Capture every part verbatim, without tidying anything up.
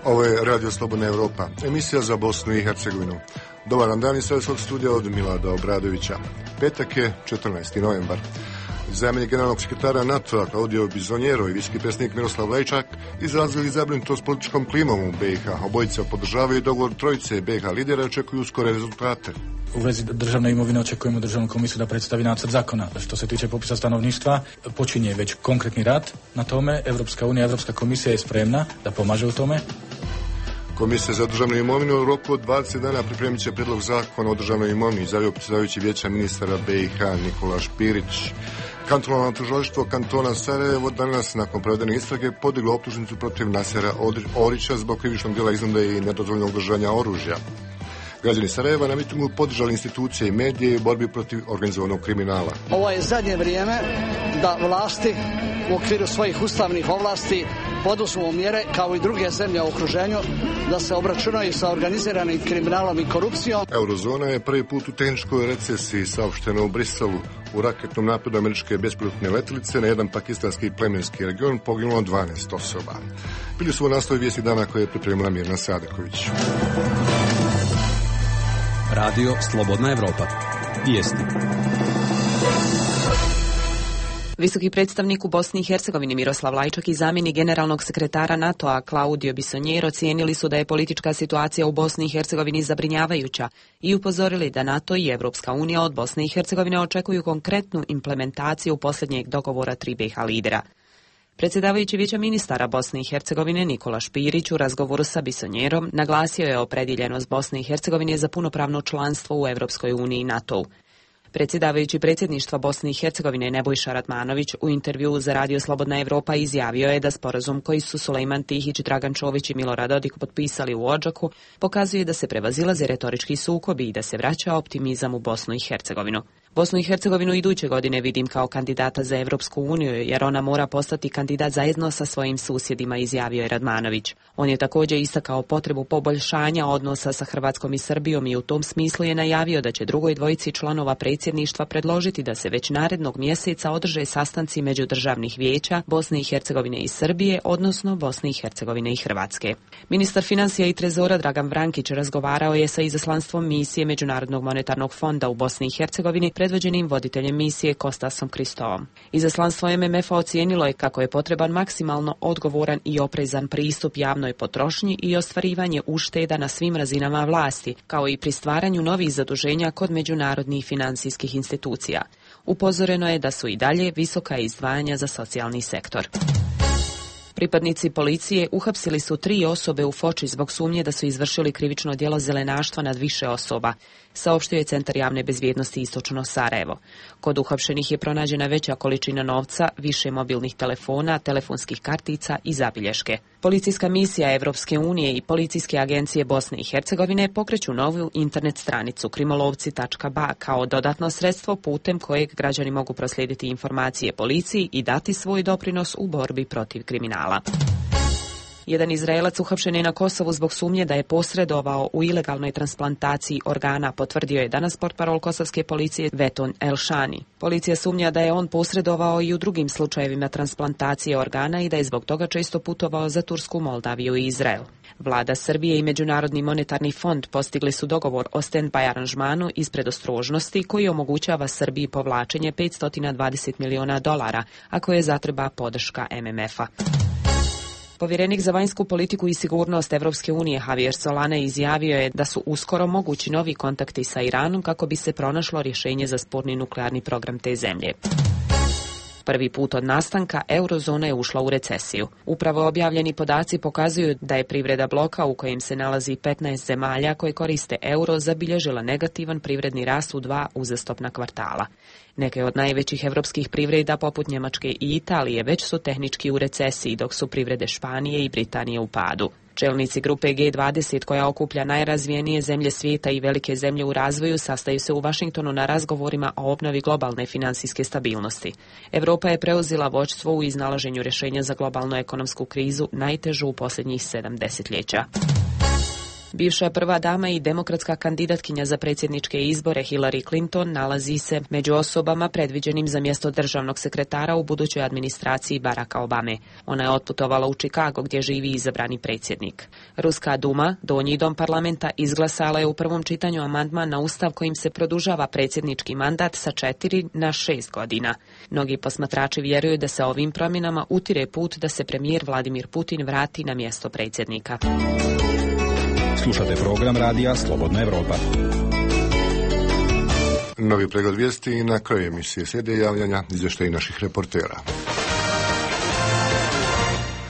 Ovo je Radio Slobodna Evropa, emisija za Bosnu i Hercegovinu. Dobar vam dan iz Srpskog studija od Milada Obradovića. Petak je četrnaesti novembar. Zamjenik generalnog sekretara NATO-a Claudio Bizonjero i visoki predsjednik Miroslav Lajčak izrazili zabrinutost političkom klimom u B i H. Obojica podržavaju dogovor trojice B i H lidera i očekuju skore rezultate. U vezi državne imovine očekujemo državnu komisiju da predstavi nacrt zakona. Što se tiče popisa stanovništva, počinje već konkretni rad na tome. Evropska unija, Evropska komisija je spremna da pomaže u tome. Komisija za državnu imovinu u roku od dvadeset dana pripremit će predlog zakona o državnoj imovini, izjavio predsjedavajući vijeća ministara B i H Nikola Špirić. Kantonalno tužilaštvo kantona Sarajevo danas nakon provedene istrage podiglo optužnicu protiv Nasera Orića zbog krivičnog djela iznude i nedozvoljenog držanja oružja. Građani Sarajeva na mitingu podržali institucije i medije u borbi protiv organizovanog kriminala. Ovo je zadnje vrijeme da vlasti u okviru svojih ustavnih ovlasti poduzmu mjere kao i druge zemlje u okruženju da se obračunaju sa organiziranim kriminalom i korupcijom. Eurozona je prvi put u tehničkoj recesiji, saopšteno u Briselu. U raketnom napadu američke bespilotne letjelice na jedan pakistanski plemenski region poginulo dvanaest osoba. Bili su u nastavi vijesti dana koje je pripremila Mirna Sadeković. Radio Slobodna Evropa. Vijesti. Visoki predstavnik u Bosni i Hercegovini Miroslav Lajčak i zamjenik generalnog sekretara NATO-a Claudio Bizonjero ocijenili su da je politička situacija u Bosni i Hercegovini zabrinjavajuća i upozorili da NATO i Evropska unija od Bosne i Hercegovine očekuju konkretnu implementaciju posljednjeg dogovora tri B i H lidera. Predsjedavajući vijeća ministara Bosne i Hercegovine Nikola Špirić u razgovoru sa Bizonjerom naglasio je opredjeljenost Bosne i Hercegovine za punopravno članstvo u Evropskoj uniji i NATO-u. Predsjedavajući predsjedništva Bosne i Hercegovine Nebojša Radmanović u intervjuu za Radio Slobodna Evropa izjavio je da sporazum koji su Sulejman Tihić, Dragan Čović i Milorad Dodik potpisali u Odžaku pokazuje da se prevazilaze retorički sukobi i da se vraća optimizam u Bosnu i Hercegovinu. Bosnu i Hercegovinu iduće godine vidim kao kandidata za Evropsku uniju jer ona mora postati kandidat zajedno sa svojim susjedima, izjavio je Radmanović. On je također istakao potrebu poboljšanja odnosa sa Hrvatskom i Srbijom i u tom smislu je najavio da će drugoj dvojici članova predsjedništva predložiti da se već narednog mjeseca održe sastanci međudržavnih vijeća Bosne i Hercegovine i Srbije, odnosno Bosne i Hercegovine i Hrvatske. Ministar financija i trezora Dragan Vrankić razgovarao je sa izaslanstvom misije Međunarodnog monetarnog fonda u Bosni i Hercegovini predvođenim voditeljem misije Kostasom Kristovom. Izaslanstvo M M F-a ocijenilo je kako je potreban maksimalno odgovoran i oprezan pristup javnoj potrošnji i ostvarivanje ušteda na svim razinama vlasti, kao i pri stvaranju novih zaduženja kod međunarodnih financijskih institucija. Upozoreno je da su i dalje visoka izdvajanja za socijalni sektor. Pripadnici policije uhapsili su tri osobe u Foči zbog sumnje da su izvršili krivično djelo zelenaštva nad više osoba, saopštio je Centar javne bezbjednosti Istočno Sarajevo. Kod uhapšenih je pronađena veća količina novca, više mobilnih telefona, telefonskih kartica i zabilješke. Policijska misija Evropske unije i policijske agencije Bosne i Hercegovine pokreću novu internet stranicu krimolovci tačka ba kao dodatno sredstvo putem kojeg građani mogu proslijediti informacije policiji i dati svoj doprinos u borbi protiv kriminala. Jedan Izraelac uhapšen je na Kosovu zbog sumnje da je posredovao u ilegalnoj transplantaciji organa, potvrdio je danas portparol kosovske policije Veton Elšani. Policija sumnja da je on posredovao i u drugim slučajevima transplantacije organa i da je zbog toga često putovao za Tursku, Moldaviju i Izrael. Vlada Srbije i Međunarodni monetarni fond postigli su dogovor o stand-by aranžmanu iz predostrožnosti koji omogućava Srbiji povlačenje petsto dvadeset miliona dolara, ako je zatreba podrška M M F-a. Povjerenik za vanjsku politiku i sigurnost Evropske unije Javier Solana izjavio je da su uskoro mogući novi kontakti sa Iranom kako bi se pronašlo rješenje za sporni nuklearni program te zemlje. Prvi put od nastanka eurozona je ušla u recesiju. Upravo objavljeni podaci pokazuju da je privreda bloka u kojem se nalazi petnaest zemalja koje koriste euro zabilježila negativan privredni rast u dva uzastopna kvartala. Neke od najvećih evropskih privreda poput Njemačke i Italije već su tehnički u recesiji, dok su privrede Španije i Britanije u padu. Čelnici grupe G dvadeset koja okuplja najrazvijenije zemlje svijeta i velike zemlje u razvoju sastaju se u Vašingtonu na razgovorima o obnovi globalne financijske stabilnosti. Europa je preuzela vođstvo u iznalaženju rješenja za globalnu ekonomsku krizu, najtežu u posljednjih sedam desetljeća. Bivša prva dama i demokratska kandidatkinja za predsjedničke izbore Hillary Clinton nalazi se među osobama predviđenim za mjesto državnog sekretara u budućoj administraciji Baracka Obame. Ona je otputovala u Chicago gdje živi izabrani predsjednik. Ruska Duma, donji dom parlamenta, izglasala je u prvom čitanju amandman na ustav kojim se produžava predsjednički mandat sa četiri na šest godina. Mnogi posmatrači vjeruju da se ovim promjenama utire put da se premijer Vladimir Putin vrati na mjesto predsjednika. Slušate program radija Slobodna Evropa. Novi pregled vijesti i na kraju emisije slijede javljanja izvještaji naših reportera.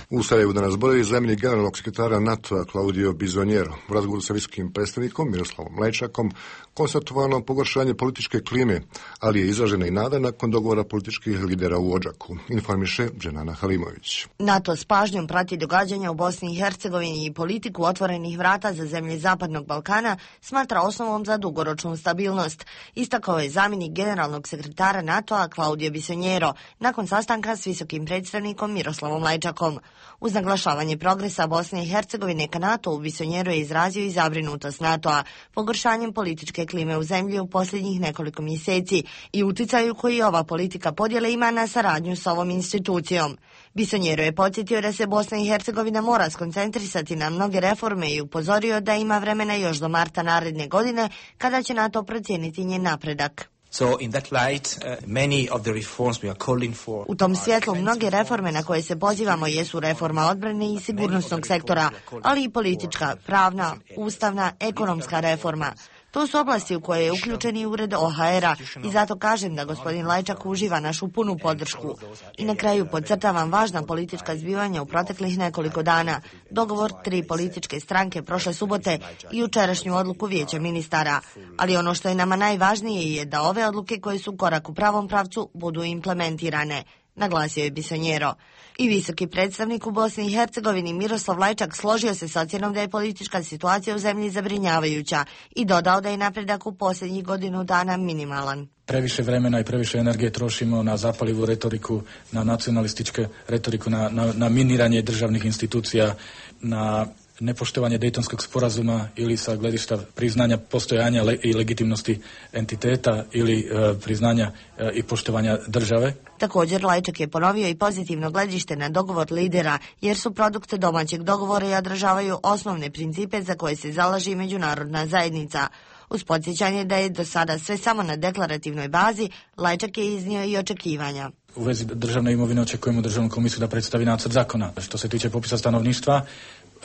U Sarajevu danas boravi zamjenik generalnog sekretara NATO-a Claudio Bizonjero. U razgovoru sa visokim predstavnikom Miroslavom Lajčakom konstatovano pogoršanje političke klime, ali je izražena i nada nakon dogovora političkih lidera u Odžaku, informiše Dženana Halimović. NATO s pažnjom prati događanja u Bosni i Hercegovini i politiku otvorenih vrata za zemlje Zapadnog Balkana smatra osnovom za dugoročnu stabilnost, istakao je zamjenik generalnog sekretara NATO-a Claudio Bizonjero nakon sastanka s visokim predstavnikom Miroslavom Lajčakom. Uz naglašavanje progresa Bosne i Hercegovine ka NATO-u, Bizonjero je izrazio i zabrinutost NATO-a pogoršanjem političke klime u zemlji u posljednjih nekoliko mjeseci i uticaju koji ova politika podjele ima na saradnju s ovom institucijom. Bizonjero je podsjetio da se Bosna i Hercegovina mora skoncentrisati na mnoge reforme i upozorio da ima vremena još do marta naredne godine kada će NATO procijeniti njen napredak. So in that light, uh, many of the reforms we are calling for. U tom svjetlu mnoge reforme na koje se pozivamo jesu reforma odbrane i sigurnosnog sektora, ali i politička, pravna, ustavna, ekonomska reforma. To su oblasti u koje je uključen i ured O H R-a i zato kažem da gospodin Lajčak uživa našu punu podršku. I na kraju podcrtavam važna politička zbivanja u proteklih nekoliko dana, dogovor tri političke stranke prošle subote i jučerašnju odluku Vijeća ministara. Ali ono što je nama najvažnije je da ove odluke koje su korak u pravom pravcu budu implementirane, naglasio je Bizonjero. I visoki predstavnik u Bosni i Hercegovini Miroslav Lajčak složio se s ocjenom da je politička situacija u zemlji zabrinjavajuća i dodao da je napredak u posljednjih godinu dana minimalan. Previše vremena i previše energije trošimo na zapalivu retoriku, na nacionalističke retoriku, na, na, na miniranje državnih institucija, na nepoštovanje Dejtonskog sporazuma ili sa gledišta priznanja postojanja le, i legitimnosti entiteta ili e, priznanja e, i poštovanja države. Također Lajčak je ponovio i pozitivno gledište na dogovor lidera, jer su produkte domaćeg dogovora i održavaju osnovne principe za koje se zalaže i međunarodna zajednica. Uz podsjećanje da je do sada sve samo na deklarativnoj bazi, Lajčak je iznio i očekivanja. U vezi državne imovine očekujemo državnu komisiju da predstavi nacrt zakona. Što se tiče popisa stanovništva,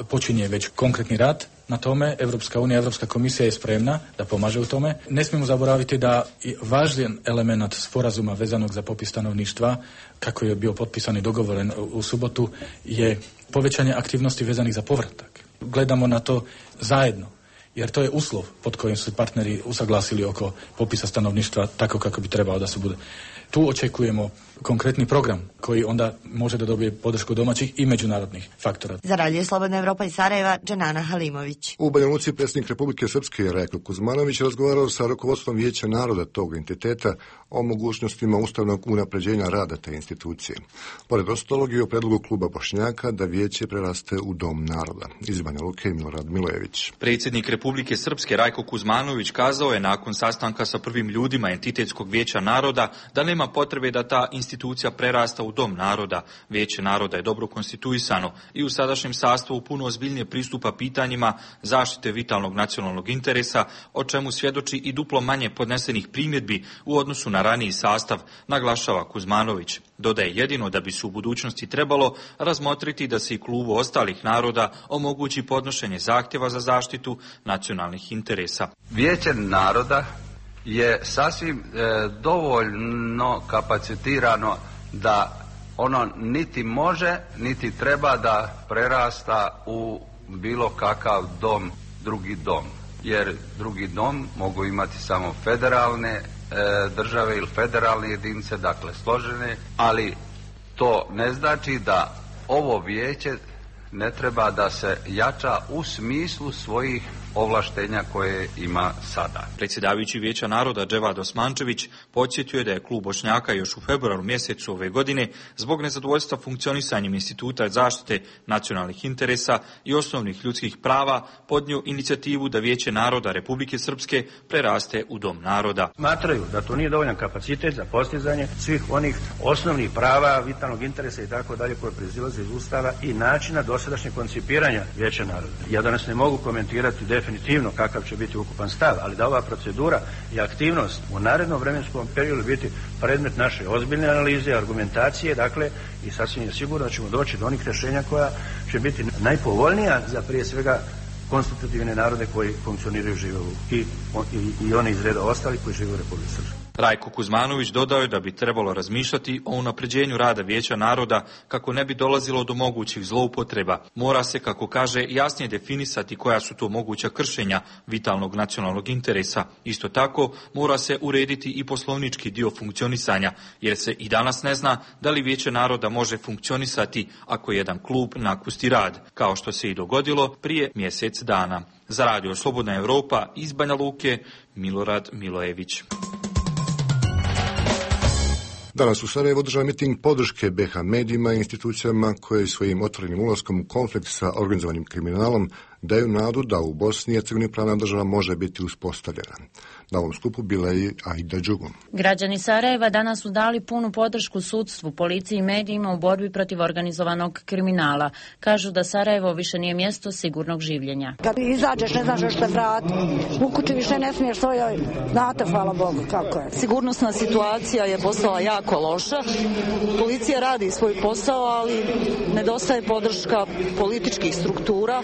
počinje već konkretni rad na tome. Evropska unija, Evropska komisija je spremna da pomaže u tome. Ne smijemo zaboraviti da važan element sporazuma vezanog za popis stanovništva, kako je bio potpisan i dogovoren u subotu, je povećanje aktivnosti vezanih za povratak. Gledamo na to zajedno, jer to je uslov pod kojim su partneri usaglasili oko popisa stanovništva tako kako bi trebao da se bude. Tu očekujemo konkretni program koji onda može da dobije podršku domaćih i međunarodnih faktora. Za Radio Slobodna Evropa iz Sarajeva, Dženana Halimović. U Banja Luci predsjednik Republike Srpske Rajko Kuzmanović razgovarao sa rukovodstvom Vijeća naroda tog entiteta o mogućnostima ustavnog unapređenja rada te institucije. Pored ostalog i o predlogu kluba Bošnjaka da vijeće preraste u Dom naroda. Iz Banja Luke Milorad Milojević. Predsjednik Republike Srpske Rajko Kuzmanović kazao je nakon sastanka sa prvim ljudima entitetskog Vijeća naroda da nema potrebe da ta institucija prerasta u Dom naroda. Vijeće naroda je dobro konstituisano i u sadašnjem sastavu puno ozbiljnije pristupa pitanjima zaštite vitalnog nacionalnog interesa, o čemu svjedoči i duplo manje podnesenih primjedbi u odnosu na raniji sastav, naglašava Kuzmanović. Dodaje jedino da bi se u budućnosti trebalo razmotriti da se i klubu ostalih naroda omogući podnošenje zahtjeva za zaštitu nacionalnih interesa. Vijeće naroda je sasvim e, dovoljno kapacitirano da ono niti može, niti treba da prerasta u bilo kakav dom, drugi dom. Jer drugi dom mogu imati samo federalne e, države ili federalne jedinice, dakle složene, ali to ne znači da ovo vijeće ne treba da se jača u smislu svojih ovlaštenja koje ima sada. Predsjedavajući Vijeća naroda Dževad Osmančević podsjetio je da je klub Bošnjaka još u februaru mjesecu ove godine zbog nezadovoljstva funkcionisanjem Instituta zaštite nacionalnih interesa i osnovnih ljudskih prava podnio inicijativu da Vijeće naroda Republike Srpske preraste u Dom naroda. Smatraju da to nije dovoljan kapacitet za postizanje svih onih osnovnih prava, vitalnog interesa i tako dalje koje proizilaze iz Ustava i načina dosadašnjeg koncipiranja Vijeća naroda. Ja danas ne mogu komentirati definitivno kakav će biti ukupan stav, ali da ova procedura i aktivnost u narednom vremenskom periodu biti predmet naše ozbiljne analize, argumentacije, dakle, i sasvim je sigurno da ćemo doći do onih rješenja koja će biti najpovoljnija za prije svega konstitutivne narode koji funkcioniraju žive u, i, i, i oni iz reda ostalih koji žive u Republici Srpskoj. Rajko Kuzmanović dodao je da bi trebalo razmišljati o unapređenju rada Vijeća naroda kako ne bi dolazilo do mogućih zloupotreba. Mora se, kako kaže, jasnije definisati koja su to moguća kršenja vitalnog nacionalnog interesa. Isto tako, mora se urediti i poslovnički dio funkcionisanja, jer se i danas ne zna da li Vijeće naroda može funkcionisati ako jedan klub napusti rad, kao što se i dogodilo prije mjesec dana. Za Radio Slobodna Evropa iz Banja Luke, Milorad Milojević. Danas u Sarajevu održan miting podrške be ha medijima i institucijama koje svojim otvorenim ulaskom u konflikt sa organizovanim kriminalom daju nadu da u Bosni i Hercegovini pravna država može biti uspostavljena. Na ovom skupu bila je i Aida Đugum. Građani Sarajeva danas su dali punu podršku sudstvu, policiji i medijima u borbi protiv organizovanog kriminala. Kažu da Sarajevo više nije mjesto sigurnog življenja. Kad izađeš ne znaš što vrati. U kući više ne smiješ svojoj. Znate, hvala Bogu, kako je. Sigurnosna situacija je postala jako loša. Policija radi svoj posao, ali nedostaje podrška političkih struktura,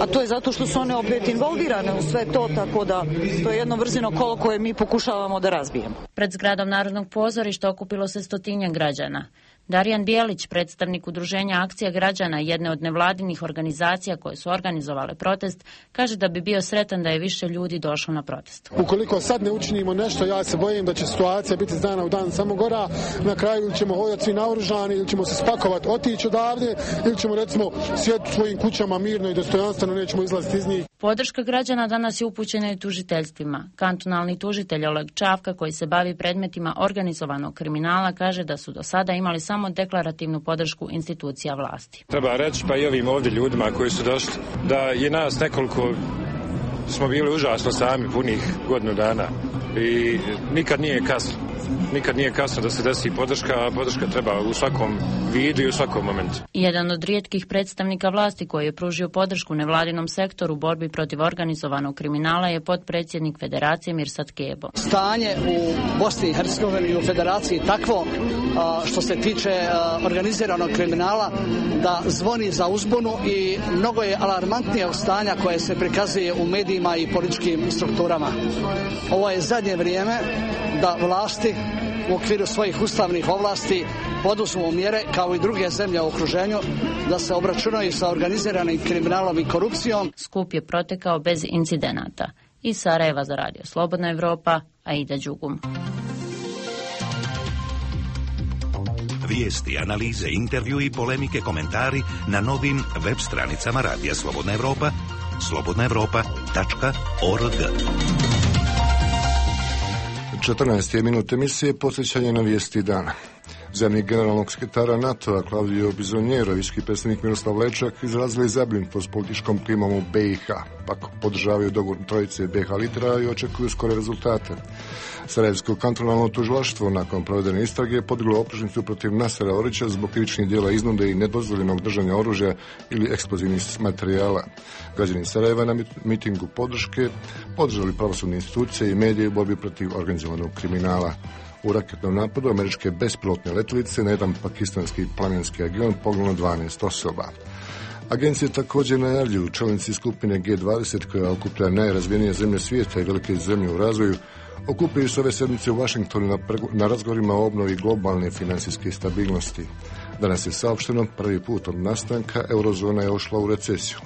a to je zato što su one opet involvirane u sve to, tako da to je jedno vrzino kolo koje mi pokušavamo da razbijemo. Pred zgradom Narodnog pozorišta okupilo se stotinjak građana. Darijan Bijelić, predstavnik udruženja Akcija građana, jedne od nevladinih organizacija koje su organizovale protest, kaže da bi bio sretan da je više ljudi došlo na protest. Ukoliko sad ne učinimo nešto, ja se bojim da će situacija biti iz dana u dan samo gora. Na kraju ili ćemo hodati svi naoružani, ili ćemo se spakovati, otići odavde, ili ćemo recimo sjediti svojim kućama mirno i dostojanstveno, nećemo izlaziti iz njih. Podrška građana danas je upućena i tužiteljstvima. Kantonalni tužitelj Oleg Čavka, koji se bavi predmetima organizovanog kriminala, kaže da su do sada imali samo deklarativnu podršku institucija vlasti. Treba reći pa i ovim ovdje ljudima koji su došli da je nas nekoliko smo bili užasno sami punih godinu dana i nikad nije kasno. Nikad nije kasno da se desi podrška, a podrška treba u svakom vidu i u svakom momentu. Jedan od rijetkih predstavnika vlasti koji je pružio podršku nevladinom sektoru u borbi protiv organizovanog kriminala je potpredsjednik Federacije Mirsad Kebo. Stanje u Bosni i Hercegovini i u Federaciji takvo što se tiče organiziranog kriminala da zvoni za uzbunu i mnogo je alarmantnije od stanja koje se prikazuje u medijima i političkim strukturama. Ovo je zadnje vrijeme da vlasti u okviru svojih ustavnih ovlasti poduzmu mjere kao i druge zemlje u okruženju da se obračunaju sa organiziranim kriminalom i korupcijom. Skup je protekao bez incidenata. Iz Sarajeva za Radio Slobodna Evropa, Aida Đugum. Vijesti, analize, intervju i polemike, komentari na novim web stranicama Radija Slobodna Evropa, slobodna evropa tačka org. četrnaeste je minut emisije, posjećanje na vijesti dana. Zamjenik generalnog sekretara NATO-a Claudio Bizonjero i visoki predstavnik Miroslav Lajčak izrazili zabrinutost političkom klimom u be i ha. Pak podržavaju dogovor trojice be ha lidera i očekuju skore rezultate. Sarajevsko kantonalno tužilaštvo nakon provedene istrage podiglo optužnicu protiv Nasera Orića zbog krivičnih djela iznude i nedozvoljenog držanja oružja ili eksplozivnih materijala. Građani Sarajeva na mitingu podrške podržali pravosudne institucije i medije u borbi protiv organizovanog kriminala. U raketnom napadu američke bespilotne letjelice na jedan pakistanski planinski avion poginulo dvanaest osoba. Agencije također najavljuju čelnici skupine ge dvadeset koja okuplja najrazvijenije zemlje svijeta i velike zemlje u razvoju okupljaju se ove sedmice u Washingtonu na, na razgovorima o obnovi globalne financijske stabilnosti. Danas je saopšteno prvi put od nastanka eurozona je ošla u recesiju.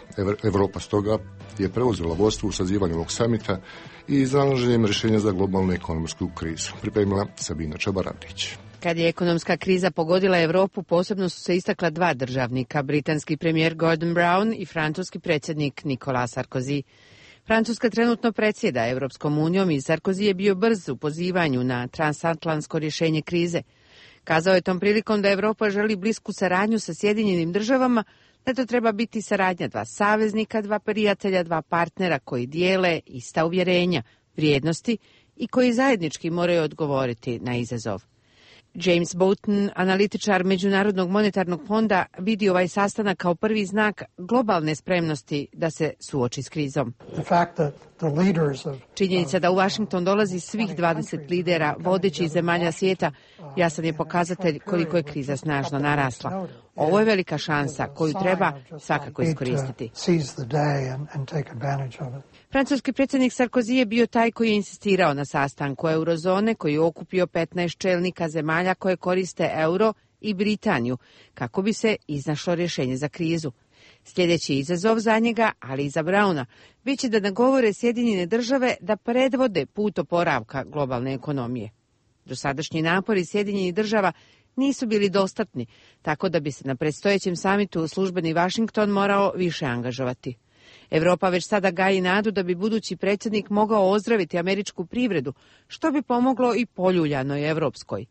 Evropa stoga je preuzela vodstvo u sazivanju ovog samita i iznalaženjem rješenja za globalnu ekonomsku krizu. Pripremila Sabina Čabaravdić. Kad je ekonomska kriza pogodila Europu, posebno su se istakla dva državnika, britanski premijer Gordon Brown i francuski predsjednik Nicolas Sarkozy. Francuska trenutno predsjeda Evropskom unijom i Sarkozy je bio brz u pozivanju na transatlantsko rješenje krize. Kazao je tom prilikom da Evropa želi blisku saradnju sa Sjedinjenim državama, da to treba biti saradnja dva saveznika, dva prijatelja, dva partnera koji dijele ista uvjerenja, vrijednosti i koji zajednički moraju odgovoriti na izazov. James Boughton, analitičar Međunarodnog monetarnog fonda, vidi ovaj sastanak kao prvi znak globalne spremnosti da se suoči s krizom. Činjenica da u Washington dolazi svih dvadeset lidera vodećih zemalja svijeta jasan je pokazatelj koliko je kriza snažno narasla. Ovo je velika šansa koju treba svakako iskoristiti. Francuski predsjednik Sarkozy je bio taj koji je insistirao na sastanku eurozone koji je okupio petnaest čelnika zemalja koje koriste euro i Britaniju kako bi se iznašlo rješenje za krizu. Sljedeći izazov za njega, ali i za Brauna, bit će da nagovore Sjedinjene države da predvode put oporavka globalne ekonomije. Dosadašnji napori Sjedinjenih država nisu bili dostatni, tako da bi se na predstojećem samitu službeni Washington morao više angažovati. Evropa već sada gaji nadu da bi budući predsjednik mogao ozdraviti američku privredu, što bi pomoglo i poljuljanoj evropskoj.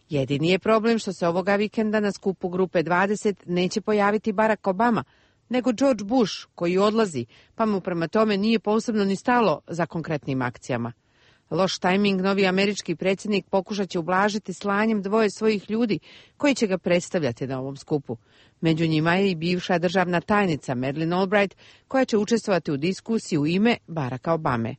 Jedini je problem što se ovoga vikenda na skupu grupe dvadeset neće pojaviti Barack Obama, nego George Bush, koji odlazi, pa mu prema tome nije posebno ni stalo za konkretnim akcijama. Loš tajming novi američki predsjednik pokušat će ublažiti slanjem dvoje svojih ljudi koji će ga predstavljati na ovom skupu. Među njima je i bivša državna tajnica Madeleine Albright, koja će učestvovati u diskusiji u ime Baracka Obame.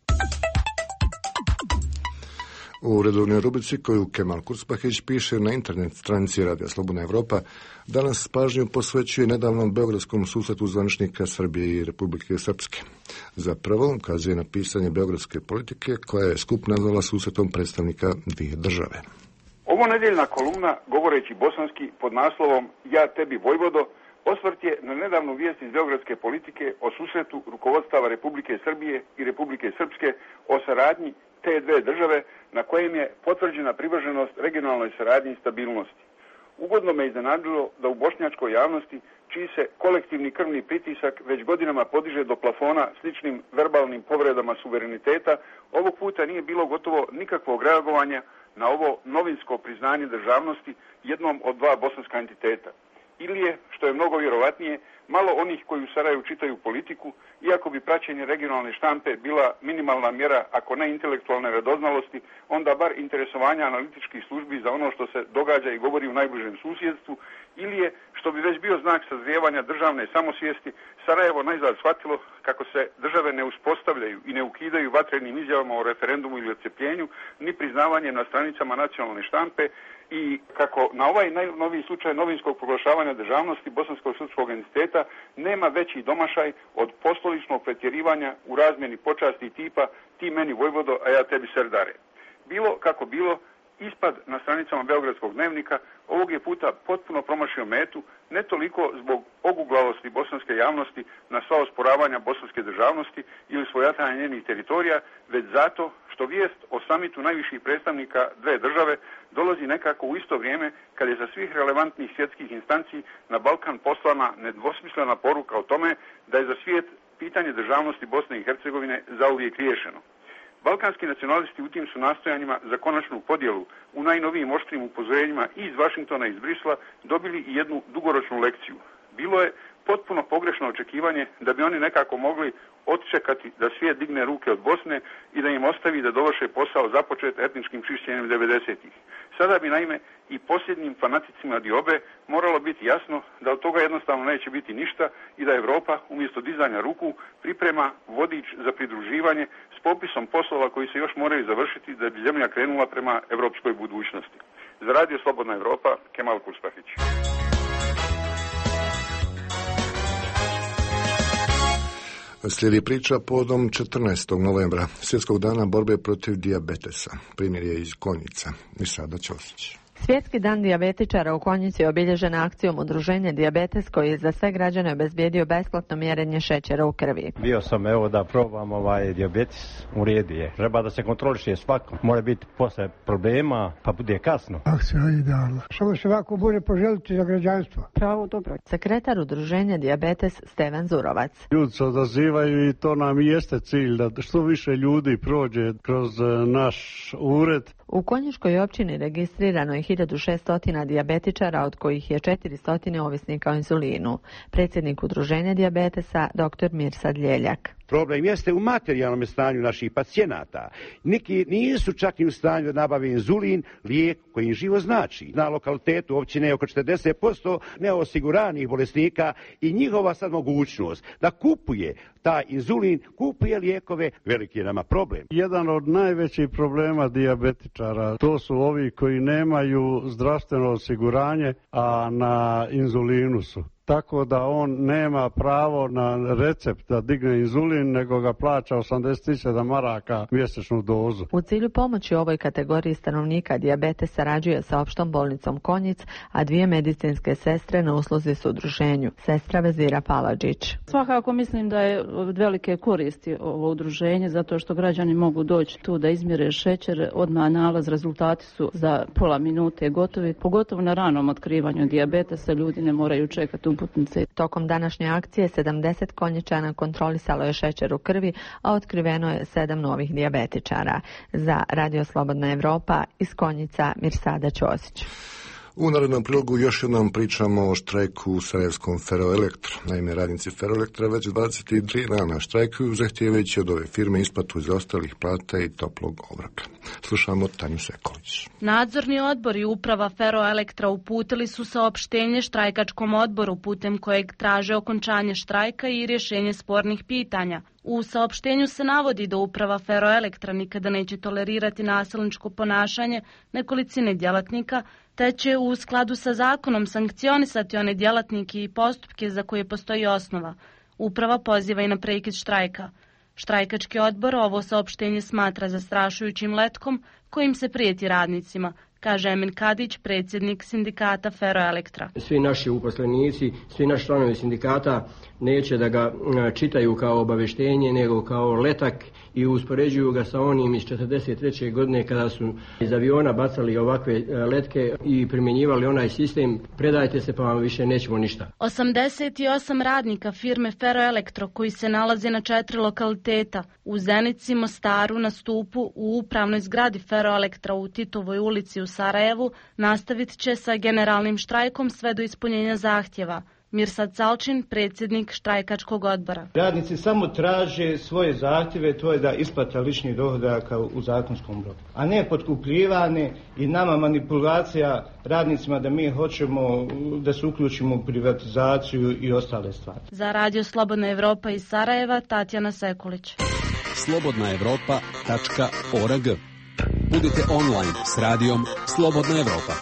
U redovnoj rubrici koju Kemal Kurspahić piše na internet stranici Radija Slobodna Evropa, danas pažnju posvećuje nedavnom beogradskom susretu zvaničnika Srbije i Republike Srpske. Zapravo ukazuje na pisanje beogradske politike koja je skup nazvala susretom predstavnika dvije države. Ovo nedeljna kolumna, govoreći bosanski pod naslovom Ja tebi Vojvodo, osvrt je na nedavnu vijest iz beogradske politike o susretu rukovodstava Republike Srbije i Republike Srpske o saradnji te dve države na kojem je potvrđena privrženost regionalnoj saradnji i stabilnosti. Ugodno me iznenadilo da u bošnjačkoj javnosti, čiji se kolektivni krvni pritisak već godinama podiže do plafona sličnim verbalnim povredama suvereniteta, ovog puta nije bilo gotovo nikakvog reagovanja na ovo novinsko priznanje državnosti jednom od dva bosanska entiteta. Ili je, što je mnogo vjerovatnije, malo onih koji u Sarajevu čitaju politiku, iako bi praćenje regionalne štampe bila minimalna mjera, ako ne intelektualne radoznalosti, onda bar interesovanja analitičkih službi za ono što se događa i govori u najbližem susjedstvu, ili je, što bi već bio znak sazrijevanja državne samosvijesti, Sarajevo najzad shvatilo kako se države ne uspostavljaju i ne ukidaju vatrenim izjavama o referendumu ili odcepljenju, ni priznavanjem na stranicama nacionalne štampe, i kako na ovaj najnoviji slučaj novinskog proglašavanja državnosti bosanskog srpskog entiteta nema veći domašaj od postoličnog pretjerivanja u razmjeni počasti tipa ti meni Vojvodo, a ja tebi Serdare. Bilo kako bilo, ispad na stranicama Beogradskog dnevnika ovog je puta potpuno promašio metu, ne toliko zbog oguglavosti bosanske javnosti na sva osporavanja bosanske državnosti ili svojatanja njenih teritorija, već zato što vijest o samitu najviših predstavnika dve države dolazi nekako u isto vrijeme kad je za svih relevantnih svjetskih instanci na Balkan poslana nedvosmislena poruka o tome da je za svijet pitanje državnosti Bosne i Hercegovine zauvijek riješeno. Balkanski nacionalisti u tim su nastojanjima za konačnu podjelu u najnovijim oštrim upozorenjima i iz Vašingtona i iz Brisla dobili i jednu dugoročnu lekciju. Bilo je potpuno pogrešno očekivanje da bi oni nekako mogli odčekati da svijet digne ruke od Bosne i da im ostavi da dovrše posao započet etničkim čišćenjem devedesetih. Sada bi naime i posljednjim fanaticima diobe moralo biti jasno da od toga jednostavno neće biti ništa i da Evropa umjesto dizanja ruku priprema vodič za pridruživanje s popisom poslova koji se još moraju završiti da bi zemlja krenula prema evropskoj budućnosti. Za Radio Slobodna Evropa, Kemal Kurspahić. Slijedi priča povodom četrnaestog novembra, svjetskog dana borbe protiv dijabetesa. Primjer je iz Konjica. I sada Ćosić. Svjetski dan dijabetičara u Konjici je obilježen akcijom Udruženja Dijabetes koji je za sve građane obezbijedio besplatno mjerenje šećera u krvi. Bio sam evo da probam ovaj dijabetes, u redu je. Treba da se kontroliše svako. Mora biti posle problema, pa bude kasno. Akcija je idealna. Samo se ovako bude poželiti za građanstvo. Pravo dobro. Sekretar Udruženja Dijabetes Stevan Zurovac. Ljudi se odazivaju i to nam i jeste cilj da što više ljudi prođe kroz naš ured. U Konjičkoj općini registrirano je hiljadu šesto dijabetičara, od kojih je četiristo ovisnika o inzulinu. Predsjednik Udruženja dijabetesa dr. Mirsad Ljeljak. Problem jeste u materijalnom stanju naših pacijenata. Neki nisu čak i u stanju da nabave inzulin, lijek koji im živo znači. Na lokalitetu općine je oko četrdeset posto neosiguranih bolesnika i njihova sad mogućnost da kupuje taj inzulin, kupuje lijekove, veliki je nama problem. Jedan od najvećih problema dijabetičara to su ovi koji nemaju zdravstveno osiguranje, a na inzulinu su. Tako da on nema pravo na recept da digne inzulin, nego ga plaća osamdeset sedam maraka mjesečnu dozu. U cilju pomoći ovoj kategoriji stanovnika dijabetes sarađuje sa opštom bolnicom Konjic, a dvije medicinske sestre na usluzi su udruženju. Sestra Vezira Paladžić. Svakako mislim da je od velike koristi ovo udruženje, zato što građani mogu doći tu da izmjere šećer, odmah nalaz, rezultati su za pola minute gotovi. Pogotovo na ranom otkrivanju dijabetesa ljudi ne moraju čekati uputnice. Tokom današnje akcije sedamdeset Konjičana kontrolisalo je šećer u krvi, a otkriveno je sedam novih dijabetičara. Za Radio Slobodna Evropa iz Konjica Mirsada Ćosić. U narednom prilogu još jednom pričamo o štrajku u sarajevskom Ferroelektru. Naime, radnici Ferroelektra već dvadeset tri dana štrajkuju, zahtijevajući od ove firme isplatu zaostalih plata i toplog obroka. Slušamo Tanju Sekulić. Nadzorni odbor i uprava Ferroelektra uputili su saopštenje štrajkačkom odboru putem kojeg traže okončanje štrajka i rješenje spornih pitanja. U saopštenju se navodi da uprava Ferroelektra nikada neće tolerirati nasilničko ponašanje nekolicine djelatnika, te će u skladu sa zakonom sankcionisati one djelatnike i postupke za koje postoji osnova. Uprava poziva i na prekid štrajka. Štrajkački odbor ovo saopštenje smatra zastrašujućim letkom kojim se prijeti radnicima, kaže Emin Kadić, predsjednik sindikata Ferroelektra. Svi naši uposlenici, svi naši članovi sindikata neće da ga čitaju kao obavještenje, nego kao letak i uspoređuju ga sa onim iz četrdeset treće godine kada su iz aviona bacali ovakve letke i primjenjivali onaj sistem, predajte se pa vam više nećemo ništa. osamdeset osam radnika firme Ferroelektro koji se nalaze na četiri lokaliteta, u Zenici, Mostaru, na Stupu, u upravnoj zgradi Ferroelektra u Titovoj ulici u Sarajevu, nastavit će sa generalnim štrajkom sve do ispunjenja zahtjeva. Mirsad Salčin, predsjednik štrajkačkog odbora. Radnici samo traže svoje zahtjeve, to je da isplata ličnih dohodaka u zakonskom roku, a ne potkupljivane i nama manipulacija radnicima da mi hoćemo da se uključimo u privatizaciju i ostale stvari. Za Radio Slobodna Evropa iz Sarajeva, Tatjana Sekulić. slobodna evropa tačka org. Budite online s radijom Slobodna Evropa.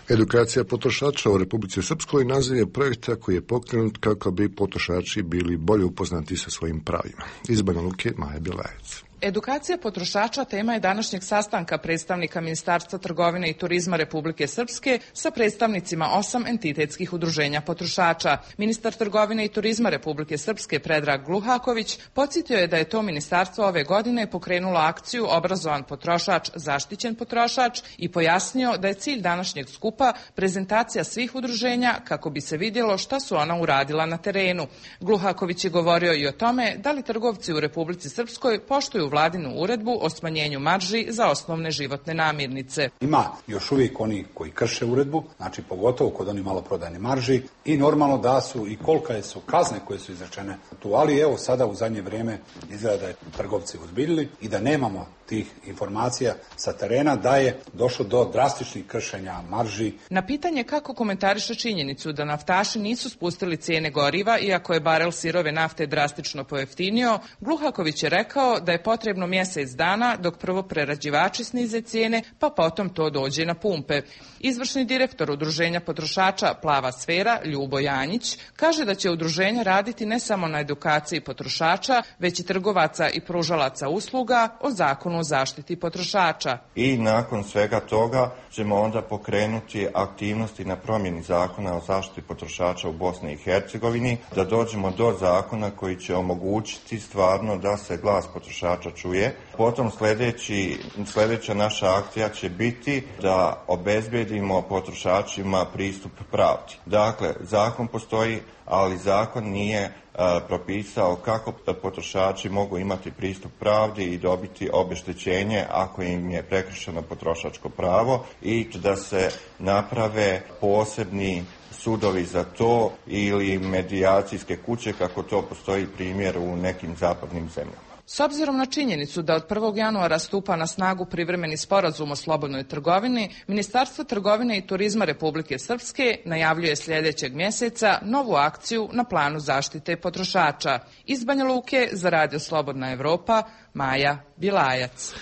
Edukacija potrošača u Republici Srpskoj naziv je projekta koji je pokrenut kako bi potrošači bili bolje upoznati sa svojim pravima. Iz Banja Luke, Maja Bjelajec. Edukacija potrošača tema je današnjeg sastanka predstavnika Ministarstva trgovine i turizma Republike Srpske sa predstavnicima osam entitetskih udruženja potrošača. Ministar trgovine i turizma Republike Srpske Predrag Gluhaković podsjetio je da je to ministarstvo ove godine pokrenulo akciju Obrazovan potrošač, zaštićen potrošač i pojasnio da je cilj današnjeg skupa prezentacija svih udruženja kako bi se vidjelo šta su ona uradila na terenu. Gluhaković je govorio i o tome da li trgovci u Republici Srpskoj poštuju vladinu uredbu o smanjenju marži za osnovne životne namirnice. Ima još uvijek oni koji krše uredbu, znači pogotovo kod oni maloprodajne marži i normalno da su i kolike su kazne koje su izrečene tu, ali evo sada u zadnje vrijeme izgleda da je trgovci uzbiljili i da nemamo tih informacija sa terena da je došlo do drastičnih kršenja marži. Na pitanje kako komentariše činjenicu da naftaši nisu spustili cijene goriva iako je barel sirove nafte drastično pojeftinio, Gluhaković je rekao da je potrebno mjesec dana dok prvo prerađivači snize cijene pa potom to dođe na pumpe. Izvršni direktor Udruženja potrošača Plava sfera Ljubo Janjić kaže da će udruženje raditi ne samo na edukaciji potrošača, već i trgovaca i pružalaca usluga o zakonu zakonu o zaštiti potrošača. I nakon svega toga ćemo onda pokrenuti aktivnosti na promjeni zakona o zaštiti potrošača u Bosni i Hercegovini, da dođemo do zakona koji će omogućiti stvarno da se glas potrošača čuje. Potom sljedeći, sljedeća naša akcija će biti da obezbedimo potrošačima pristup pravdi. Dakle, zakon postoji, ali zakon nije a, propisao kako potrošači mogu imati pristup pravdi i dobiti obeštećenje ako im je prekršeno potrošačko pravo i da se naprave posebni sudovi za to ili medijacijske kuće kako to postoji primjer u nekim zapadnim zemljama. S obzirom na činjenicu da od prvog januara stupa na snagu privremeni sporazum o slobodnoj trgovini, Ministarstvo trgovine i turizma Republike Srpske najavljuje sljedećeg mjeseca novu akciju na planu zaštite potrošača. Iz Banja Luke za Radio Slobodna Evropa, Maja Bilajac.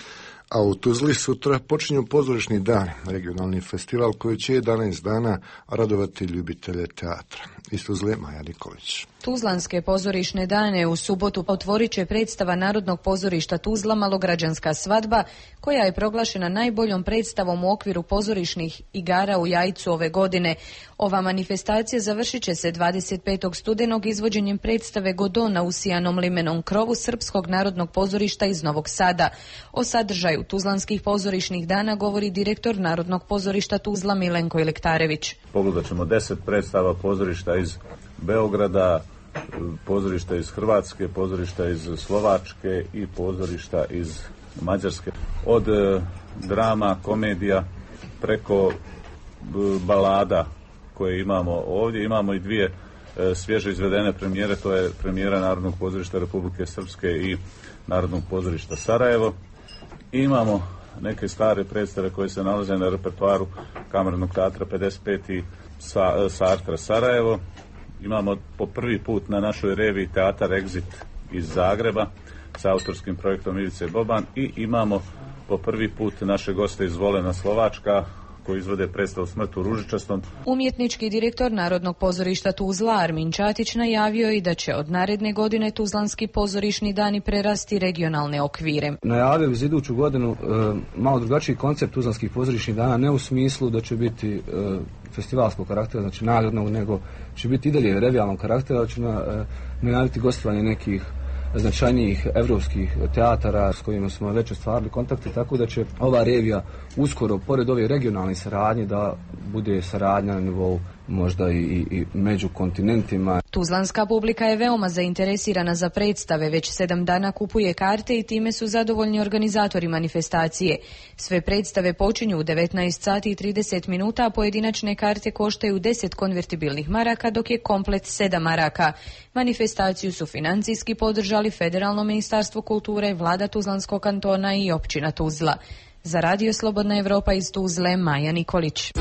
A u Tuzli sutra počinju pozorišni dan, regionalni festival koji će jedanaest dana radovati ljubitelje teatra. Iz Tuzle, Maja Nikolić. Tuzlanske pozorišne dane u subotu otvorit će predstava Narodnog pozorišta Tuzla Malograđanska svadba, koja je proglašena najboljom predstavom u okviru pozorišnih igara u Jajcu ove godine. Ova manifestacija završit će se dvadeset petog studenog izvođenjem predstave Godona usijanom limenom krovu Srpskog narodnog pozorišta iz Novog Sada. O sadržaju Tuzlanskih pozorišnih dana govori direktor Narodnog pozorišta Tuzla Milenko Ilektarević. Pogledat ćemo deset predstava pozorišta iz Beograda, pozorišta iz Hrvatske, pozorišta iz Slovačke i pozorišta iz Mađarske. Od e, drama, komedija preko e, balada koje imamo ovdje. Imamo i dvije e, svježe izvedene premijere, to je premijera Narodnog pozorišta Republike Srpske i Narodnog pozorišta Sarajevo. I imamo neke stare predstave koje se nalaze na repertoaru Kamernog teatra pedeset pet i Sa, Sartra Sarajevo. Imamo po prvi put na našoj reviji teatar Exit iz Zagreba sa autorskim projektom Ivice Boban i imamo po prvi put naše goste iz Volena Slovačka koji izvode predstavu Smrt u ružičastom. Umjetnički direktor Narodnog pozorišta Tuzla Armin Čatić najavio i da će od naredne godine Tuzlanski pozorišni dani prerasti regionalne okvire. Najavili za iduću godinu e, malo drugačiji koncept Tuzlanskih pozorišnih dana, ne u smislu da će biti e, festivalskog karaktera, znači nagradnog, nego će biti i dalje revijalnog karaktera, da će na, e, najaviti gostovanje nekih značajnijih evropskih teatara s kojima smo već ostvarili kontakte, tako da će ova revija uskoro, pored ove regionalne saradnje, da bude saradnja na nivou možda i, i, i među kontinentima. Tuzlanska publika je veoma zainteresirana za predstave, već sedam dana kupuje karte i time su zadovoljni organizatori manifestacije. Sve predstave počinju u devetnaest sati i trideset minuta, a pojedinačne karte koštaju deset konvertibilnih maraka, dok je komplet sedam maraka. Manifestaciju su financijski podržali Federalno ministarstvo kulture, vlada Tuzlanskog kantona i općina Tuzla. Za Radio Slobodna Evropa iz Tuzle, Maja Nikolić.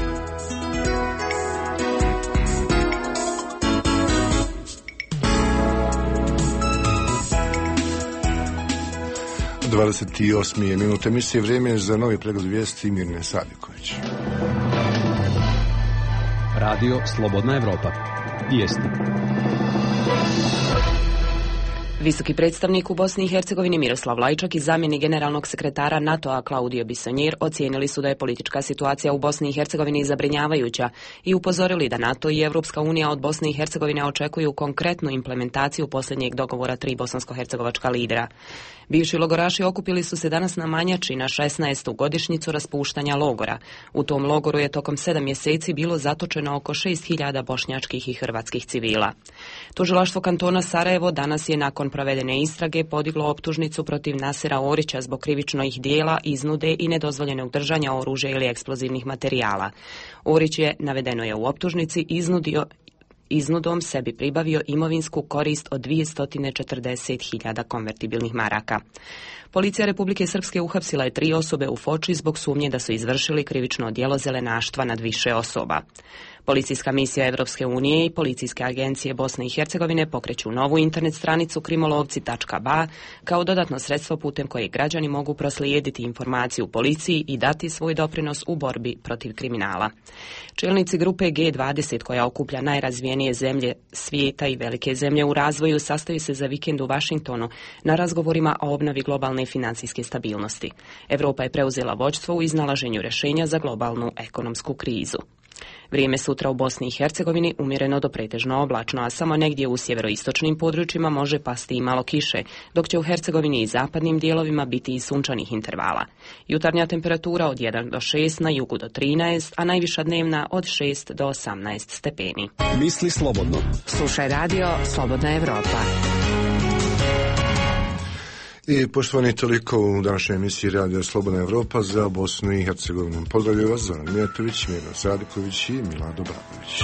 dvadeset osam minut emisije, vrijeme za novi pregled vijesti Mirne Sadiković. Radio Slobodna Evropa. Vijesti. Visoki predstavnik u Bosni i Hercegovini Miroslav Lajčak i zamjenik generalnog sekretara NATO-a Claudio Bisonjer ocijenili su da je politička situacija u Bosni i Hercegovini zabrinjavajuća i upozorili da NATO i Evropska unija od Bosne i Hercegovine očekuju konkretnu implementaciju posljednjeg dogovora tri bosansko-hercegovačka lidera. Bivši logoraši okupili su se danas na Manjači na šesnaestu godišnjicu raspuštanja logora. U tom logoru je tokom sedam mjeseci bilo zatočeno oko šest hiljada bošnjačkih i hrvatskih civila. Tužilaštvo kantona Sarajevo danas je nakon provedene istrage podiglo optužnicu protiv Nasera Orića zbog krivičnih dijela, iznude i nedozvoljenog držanja oružja ili eksplozivnih materijala. Orić je, navedeno je u optužnici, iznudio iznudom sebi pribavio imovinsku korist od dvjesto četrdeset hiljada konvertibilnih maraka. Policija Republike Srpske uhapsila je tri osobe u Foči zbog sumnje da su izvršili krivično djelo zelenaštva nad više osoba. Policijska misija Evropske unije i policijske agencije Bosne i Hercegovine pokreću novu internet stranicu krimolovci tačka ba kao dodatno sredstvo putem kojeg građani mogu proslijediti informaciju policiji i dati svoj doprinos u borbi protiv kriminala. Čelnici grupe G dvadeset koja okuplja najrazvijenije zemlje svijeta i velike zemlje u razvoju sastaju se za vikend u Vašingtonu na razgovorima o obnovi globalne financijske stabilnosti. Evropa je preuzela vođstvo u iznalaženju rješenja za globalnu ekonomsku krizu. Vrijeme sutra u Bosni i Hercegovini umjereno do pretežno oblačno, a samo negdje u sjeveroistočnim područjima može pasti i malo kiše, dok će u Hercegovini i zapadnim dijelovima biti i sunčanih intervala. Jutarnja temperatura od jedan do šest, na jugu do trinaest, a najviša dnevna od šest do osamnaest stepeni. Misli slobodno. Slušaj radio Slobodna Evropa. I poštovani, toliko u današnjoj emisiji Radio Slobodna Evropa za Bosnu i Hercegovinu. Pozdravljaju vas Zoran Mijatović, Mirno Sadiković i Milado Braković.